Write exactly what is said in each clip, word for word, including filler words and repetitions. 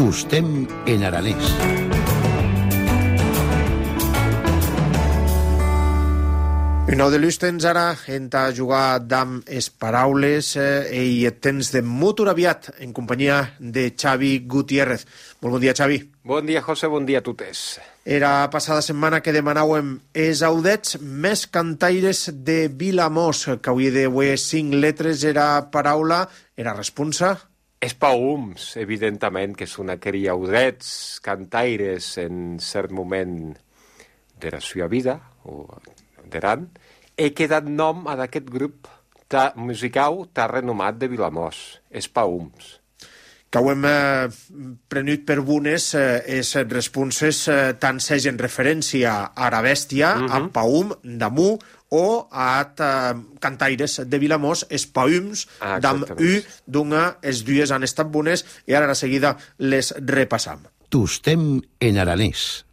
Tostem en aranès. Un nou de l'ús tens ara en a jugar damb es paraules eh, i et tens de molt aviat en companyia de Xavi Gutiérrez. Molt bon dia, Xavi. Bon dia, José, bon dia a totes. Era passada setmana que demanàvem els audets més cantaires de Vilamós, que avui d'avui cinc letres era paraula, era responsa. Espaums, evidentment, que són aquells audets cantaires en cert moment de la seva vida, o d'eran, he quedat nom a d'aquest grup ta, musical tan renomat de Vilamós, Espaums. Que ho hem eh, prenut per bones eh, és responses eh, tant segen referència a la bèstia, uh -huh. a Paum, d'Amú, o a eh, cantaires de Vilamós, Espaums, ah, d'Am U, d'una, els dues han estat bones, i ara a seguida les repassam. Tostem en aranès.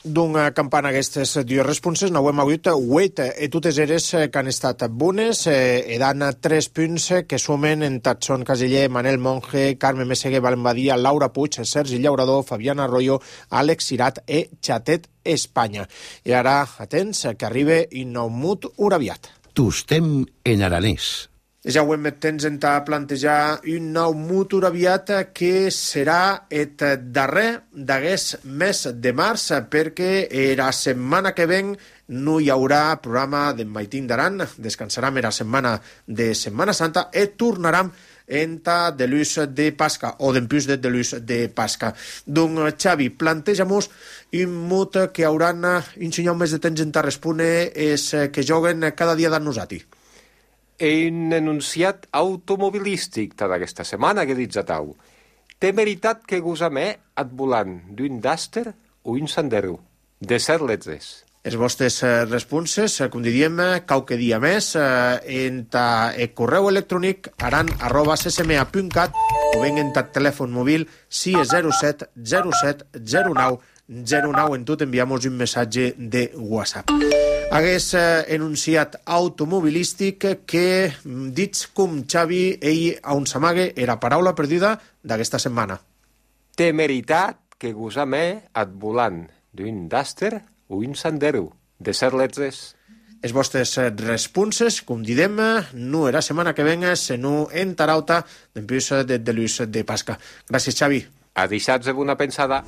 D'una campana aquestes dues responses, n'hauem hagut vuit, i totes eres que han estat bones, i dan tres punts que sumen en Tatson Caseller, Manel Monge, Carme Meseguer, Valen Badia, Laura Puig, Sergi Llaurador, Fabiana Arroyo, Àlex Cirat i Xatet Espanya. I ara, atents, que arriba Inaumut Urabiat. Tostem en aranès. Ja ho hem temps en a plantejar un nou mutur aviat que serà el darrer d'aquest mes de març, perquè la setmana que ven no hi haurà programa d'en Maitín d'Aran, descansarem la setmana de Setmana Santa i tornarem en ta de l'ús de Pasca, o d'empús de l'ús de Pasca. Doncs, Xavi, planteja-nos un mut que hauran un senyor més de temps en ta respondre és que joguen cada dia d'en nosaltres. Un enunciat automobilístic d'aquesta setmana que dits a tau. Té veritat que gosame et volant d'un Duster o un Sandero, de set letres. Les vostres responses, com diríem, qualque dia més, en el correu electrònic aran arroba ccma punt cat o ben en el telèfon mòbil sis zero set zero set zero nou zero nou. En tot enviamos un missatge de WhatsApp. Hagués eh, enunciat automobilístic que, dits com Xavi, ell a un s'amague era paraula perduda d'aquesta setmana. Temeritat que gosame et volant d'un Duster o un Sandero, de set letres. Les vostres responses, com didem, no era setmana que venga, sinó en tarauta d'empús de, de l'ús de Pasca. Gràcies, Xavi. A deixats de bona pensada.